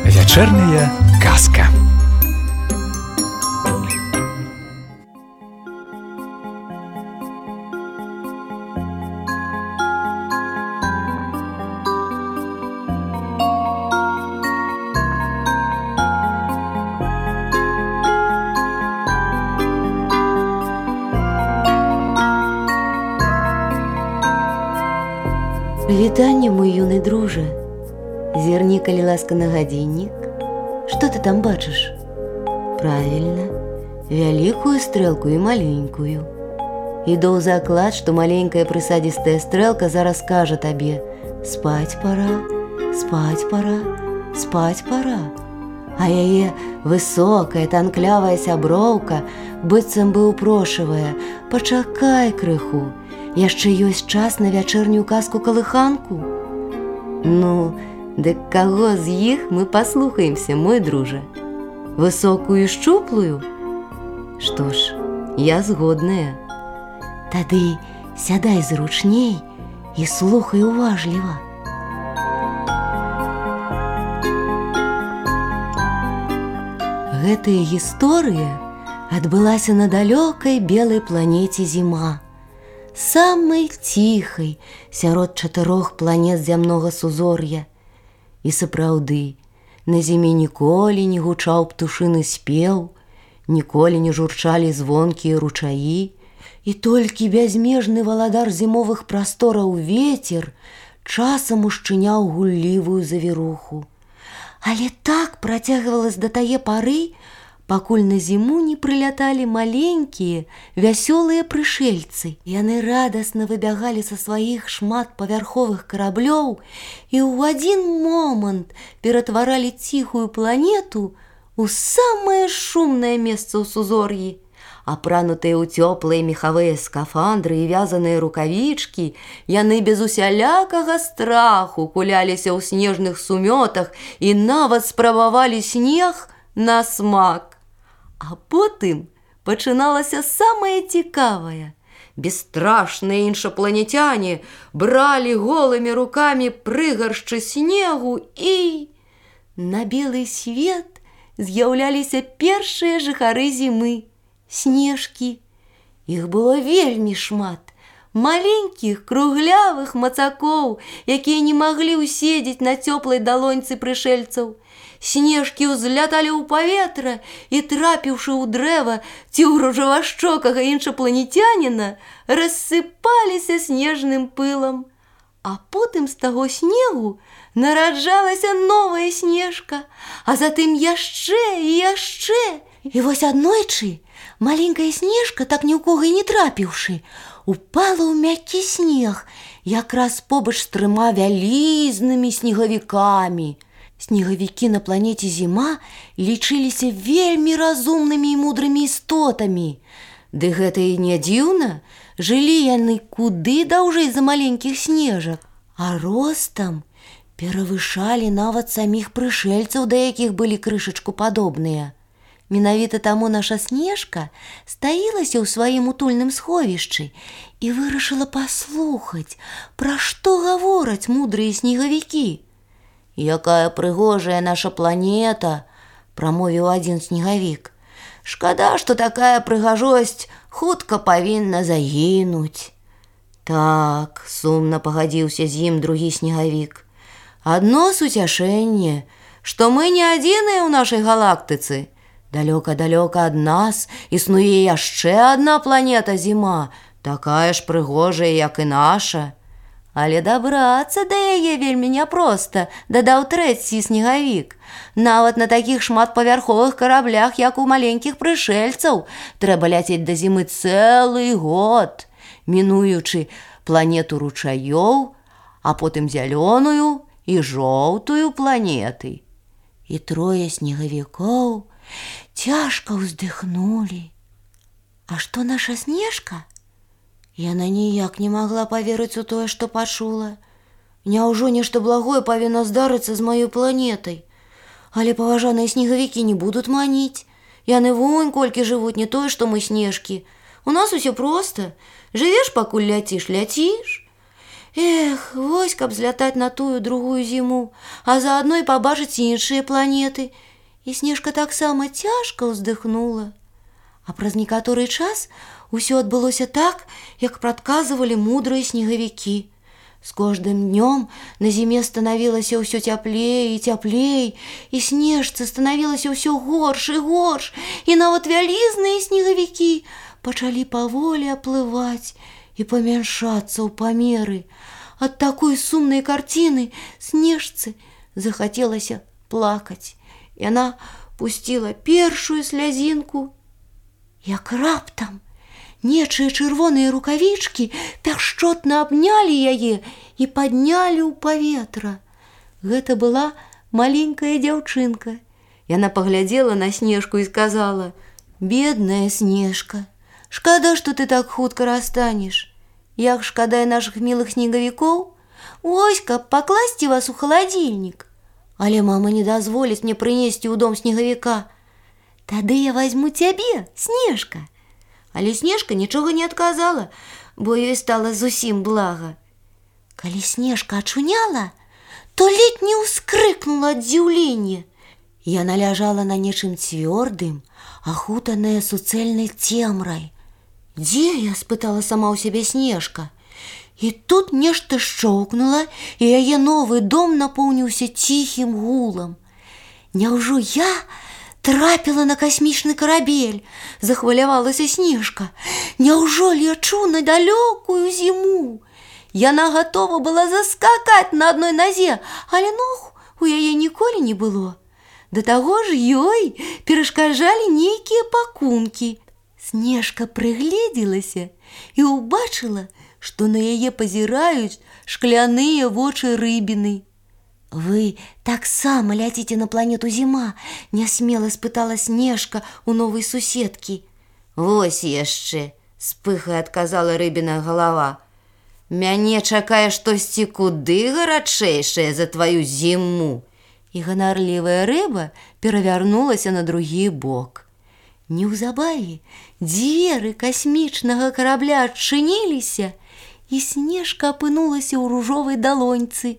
Вечерняя казка. Вітанне, мой юны дружа. Зірні, калі ласка, на гадзіннік. Што ты там бачыш? Правільна, вялікую стрэлку і маленькую. Іду ў заклад, што маленькая прысадзістая стрэлка зараз скажа табе: спаць пара, спаць пара, спаць пара. А яе высокая, танклявая сяброўка быццам бы упрошвае: пачакай крыху, яшчэ ёсць час на вячэрнюю казку-калыханку. Ну, дык каго з іх мы паслухаемся, мой дружа? Высокую і шчуплую? Што ж, я згодная. Тады сядай зручней і слухай уважліва. Гэтая гісторыя адбылася на далёкай белай планеце Зіма, самай ціхай сярод 4 планет зямнога сузор'я. І сапраўды, на зіме ніколі не гучаў птушыны спеў, ніколі не журчалі звонкія ручаі, і толькі бязмежны валадар зімовых прастораў вецер часам ушчыняў гуллівую завіруху. Але так працягвалася да тае пары, пакуль на зіму не прыляталі маленькія, вясёлыя прышельцы. Яны радасна выбягалі са сваіх шматпавярховых караблёў і ў адзін момант ператваралі ціхую планету ў самае шумнае месца ў сузор'і. Апранутыя ў цёплыя мехавыя скафандры і вязаныя рукавічкі, яны без усялякага страху куляліся ў снежных сумётах і нават спрабавалі снег на смак. А потым пачыналася самае цікавае. Бесстрашныя іншапланетяне бралі голымі рукамі прыгаршчы снегу і на белы свет з'яўляліся першыя жыхары зімы – снежкі. Іх было вельмі шмат. Маленькіх, круглявых мацакоў, якія не маглі ўседзець на цёплай далоньцы прышельцаў. Снежкі ўзляталі ў паветра і, трапіўшы ў дрэва ці ў ружавашчокага іншапланетяніна, рассыпаліся снежным пылам. А потым з таго снегу нараджалася новая снежка, а затым яшчэ і яшчэ. І вось аднойчы маленькая снежка, так ні ў кога і не трапіўшы, упала ў мяккі снег, якраз побач з 3 вялізнымі снегавікамі. Снегавікі на планеце Зіма лічыліся вельмі разумнымі і мудрымі істотамі. Ды гэта і не дзіўна, жылі яны куды даўжэй за маленькіх снежак, а ростам перавышалі нават саміх прышельцаў, да якіх былі крышачку падобныя. Менавіта таму наша снежка стаілася ў сваім утульным сховішчы і вырашыла паслухаць, пра што гавораць мудрыя снегавікі. «Якая прыгожая наша планета!» – прамовіў адзін снегавік. «Шкада, што такая прыгажосць хутка павінна загінуць». «Так», – сумна пагадзіўся з ім другі снегавік. «Адно суцяшэнне, што мы не адзіныя ў нашай галактыцы. Далёка-далёка ад нас існуе яшчэ адна планета Зіма, такая ж прыгожая, як і наша». «Але дабрацца да яе вельмі няпроста», – дадаў трэці снегавік. «Нават на такіх шматпавярховых караблях, як у маленькіх прышельцаў, трэба ляцець да зімы цэлы год, мінуючы планету ручаёў, а потым зялёную і жоўтую планеты». І 3 снегавікоў цяжка ўздыхнулі. «А што наша снежка?» Яна ніяк не магла паверыць у тое, што пачула. Няўжо нешта благое павінна здарыцца з маёй планетай? Але паважаныя снегавікі не будуць маніць. Яны вунь колькі жывуць, не тое, што мы снежкі. У нас усё проста. Жывеш, пакуль ляціш, ляціш. Эх, вось каб злятаць на тую другую зіму, а заадно і пабачыць іншыя планеты. І Снежка таксама цяжка ўздыхнула. А праз некаторы час усё адбылося так, як прадказвалі мудрыя снегавікі. З кожным днём на зіме станавілася ўсё цяплей і цяплей, і Снежцы станавілася ўсё горш і горш, і нават вялізныя снегавікі пачалі паволі аплываць і памяншацца ў памеры. Ад такой сумнай карціны Снежцы захацелася плакаць. Яна пусціла першую слязінку, як раптам нечыя чырвоныя рукавічкі пяшчотна абнялі яе і паднялі ў паветра. Гэта была маленькая дзяўчынка. Яна паглядзела на Снежку і сказала: «Бедная Снежка, шкада, што ты так хутка расстанеш. Як шкада і нашых мілых снегавікоў, вось каб пакласці вас у халадзільнік. Але мама не дазволіць мне прынесці ў дом снегавіка. Тады я возьму цябе, Снежка». Але Снежка нічога не адказала, бо ёй стала зусім блага. Калі Снежка ачуняла, то ледзь не ўскрыкнула ад здзіўлення. Яна ляжала на нечым цвёрдым, ахутаная суцэльнай цемрай. «Дзе я?» – спытала сама ў сябе Снежка. І тут нешта шчоўкнула, і яе новы дом напоўніўся ціхім гулам. «Няўжо я трапіла на касмічны карабель?» – захвалявалася Снежка. «Няўжо лечу на далёкую зіму?» Яна гатова была заскакаць на адной назе, але ног у яе ніколі не было. Да таго ж ёй перашкаджалі нейкія пакункі. Снежка прыгледзелася і ўбачыла, што на яе пазіраюць шкляныя вочы рыбіны. «Вы таксама ляціце на планету Зіма?» – нясмела спытала Снежка у новай суседкі. «Вось яшчэ!» – з пыхай адказала рыбіна галава. «Мяне чакае штосьці куды гарачэйшае за тваю зіму!» І ганарлівая рыба перавярнулася на другі бок. Неўзабаве дзверы касмічнага карабля адчыніліся, і Снежка апынулася ў ружовай далоньцы.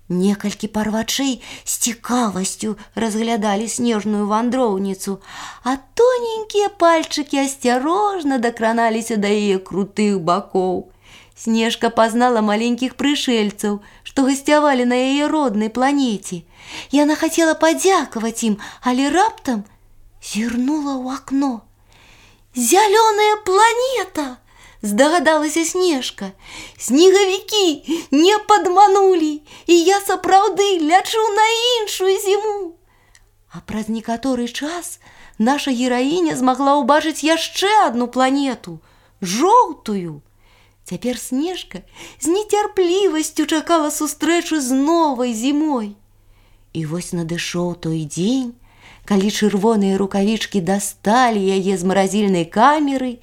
Некалькі парвачэй з цікавасцю разглядалі снежную вандроўніцу, а тоненькія пальчыкі асцярожна дакраналіся да яе крутых бакоў. Снежка пазнала маленькіх прышэльцаў, што гасцявалі на яе роднай планеце. Яна хацела падзякаваць ім, але раптам зірнула ў акно. «Зялёная планета!» – здагадалася Снежка. «Снегавікі не падманулі, і я сапраўды лячу на іншую зіму!» А праз некаторы час наша гераіня змагла ўбачыць яшчэ адну планету – жоўтую. Цяпер Снежка з нецярплівасцю чакала сустрэчу з новай зімой. І вось надышоў той дзень, калі чырвоныя рукавічкі дасталі яе з маразільнай камеры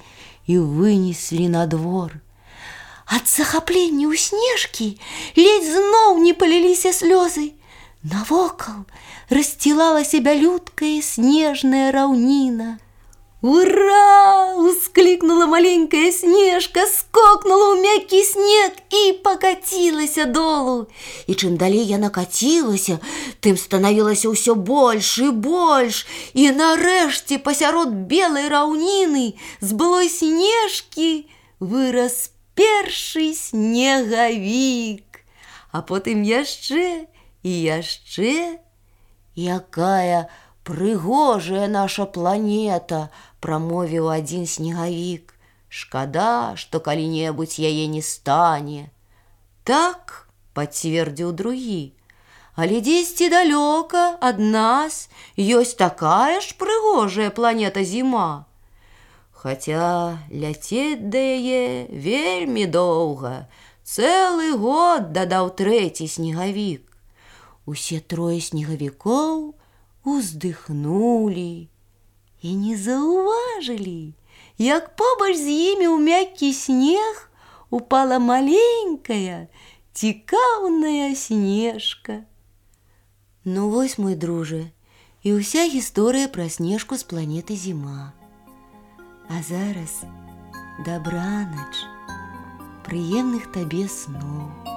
і вынеслі на двор. Ад захаплення ў Снежкі ледзь зноў не паліліся слёзы. Навокал рассцілалася бялюткая снежная раўніна. «Ура!» – ускликнула маленькая Снежка, скокнула ў мяккі снег і пакацілася долу. І чым далей яна кацілася, тым станавілася ўсё больш і больш. І нарэшце пасярод белай раўніны з былой Снежкі вырас першы снегавік. А потым яшчэ і яшчэ. «Якая прыгожая наша планета!» – прамовіў адзін снегавік. «Шкада, што калі-небудзь яе не стане». «Так», – пацвердзіў другі, «але дзесьці далёка ад нас ёсць такая ж прыгожая планета Зіма. Хаця ляцець да яе вельмі доўга, цэлы год», – дадаў трэці снегавік. Усе трое снегавікоў уздыхнулі і не заўважылі, як побач з імі ў мяккі снег упала маленькая, цікаўная Снежка. «Ну вось, мой дружа, І ўся гісторыя пра Снежку з планеты Зіма. А зараз дабранач, прыемных табе сноў.